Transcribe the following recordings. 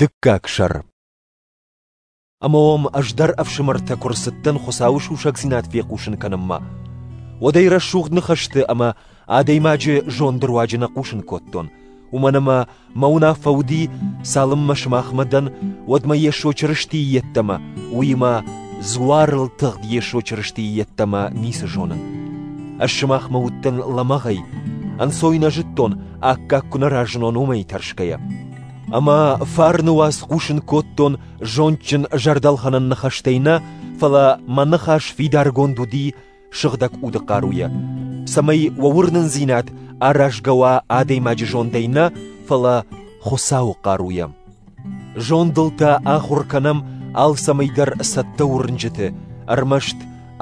Дыккаг сӕр. Ӕмӕ уӕм ӕз дӕр, ӕфсымӕртӕ, куы рцыдтӕн Хуыцауы сусӕгдзинад фехъусын кӕнынмӕ, уӕд ӕй рӕсугъд ныхӕсты ӕмӕ адӕймаджы зонды руаджы нӕ хъусын кодтон, уымӕн ӕмӕ мӕ уынаффӕ уыди, цалынмӕ сымахмӕ дӕн, уӕдмӕ Йесо Чырыстийы йеддӕмӕ, уыимӕ дзуарыл тыгъд Йесо Чырыстийы йеддӕмӕ ницы зонын. Ӕз сымахмӕ уыдтӕн лӕмӕгъӕй, ӕнцой нӕ зыдтон, аккаг куы нӕ разынон, уымӕй тӕрсгӕйӕ. Ӕмӕ фарны уац хъусын кодтон зондджын зӕрдӕлхӕнӕн ныхӕстӕй нӕ, фӕлӕ мӕ ныхас фидаргонд уыди сыгъдӕг уды хъаруйӕ, цӕмӕй уӕ уырнындзинад аразгӕ уа адӕймаджы зондӕй нӕ, фӕлӕ Хуыцауы хъаруйӕ. Зондыл та ахуыр кӕнӕм алцӕмӕй дӕр цӕттӕ уырнджыты, ӕрмӕст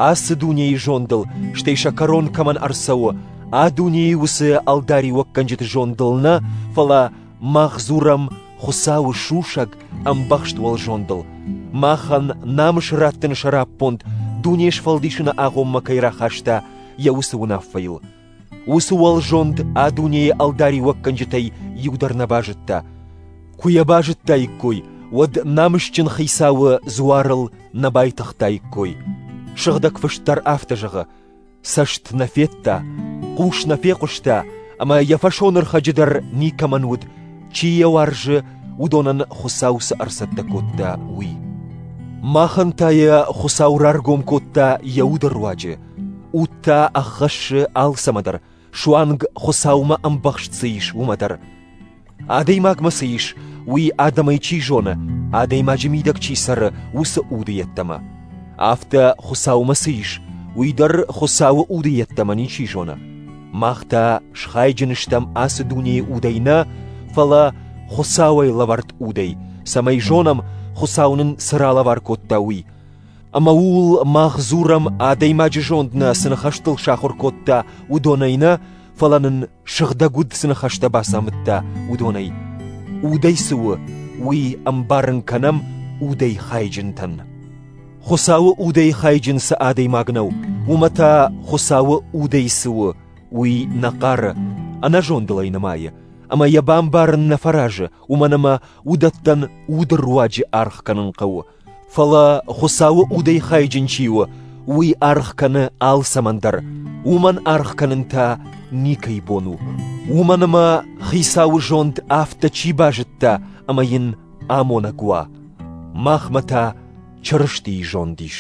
ацы дунейы зондыл, стӕй сӕ кӕрон кӕмӕн ӕрцӕуы, а дунейы уыцы ӕлдариуӕггӕнджыты зондыл нӕ, фӕлӕ мах дзурӕм Хуыцауы сусӕг ӕмбӕхст уӕлзондыл, махӕн намыс раттыны сӕраппонд дуне сфӕлдисыны агъоммӕ кӕй рахаста, йӕ уыцы уынаффӕйыл. Уыцы уӕлзонд а дунейы ӕлдариуӕггӕнджытӕй иу дӕр нӕ базыдта. Куы йӕ базыдтаиккой, уӕд намысджын хицауы дзуарыл нӕ байтыгътаиккой. Сыгъдӕг Фыст дӕр афтӕ зӕгъы: Цӕст нӕ федта, хъус нӕ фехъуыста, ӕмӕ йӕ фӕсонӕрхӕджы дӕр никӕмӕн уыд, чи йӕ уарзы, уыдонӕн Хуыцау цы ӕрцӕттӕ кодта, уый. Махӕн та йӕ Хуыцау раргом кодта йӕ уды руаджы. Уд та ӕххӕссы алцӕмӕ дӕр, суанг Хуыцаумӕ ӕмбӕхст цы ис, уымӕ дӕр. Адӕймагмӕ цы ис, уый адӕмӕй чи зоны, адӕймаджы мидӕг чи цӕры, уыцы уды йеддӕмӕ. Афтӕ Хуыцаумӕ цы ис, уый дӕр Хуыцауы уды йеддӕмӕ ничи зоны. Мах та схайджын стӕм ацы дунейы удӕй нӕ, фӕлӕ Хуыцауӕй лӕвӕрд удӕй, цӕмӕй зонӕм, Хуыцау нын цы ралӕвар кодта, уый. Ӕмӕ ууыл мах дзурӕм, адӕймаджы зонд нӕ цы ныхӕстыл сахуыр кодта, уыдонӕй нӕ, фӕлӕ нын сыгъдӕг уд цы ныхӕстӕ бацамыдта, уыдонӕй. Удӕй цы у, уый ӕмбарын кӕнӕм удӕй хайджынтӕн. Хуыцауы удӕй хайджын цы адӕймаг нӕу, уымӕ та Хуыцауы удӕй цы у, уый нӕ хъары, ӕнӕзондыл ӕй нымайы, ӕмӕ йӕ бамбарын нӕ фӕразы, уымӕн ӕмӕ уыдӕттӕн уды руаджы аргъ кӕнын хъӕуы. Фӕлӕ Хуыцауы удӕй хайджын чи у, уый аргъ кӕны алцӕмӕн дӕр, уымӕн аргъ кӕнын та никӕй бон у. Уымӕн ӕмӕ Хицауы зонд афтӕ чи базыдта ӕмӕ йын амонӕг уа. Махмӕ та Чырыстийы зонд ис.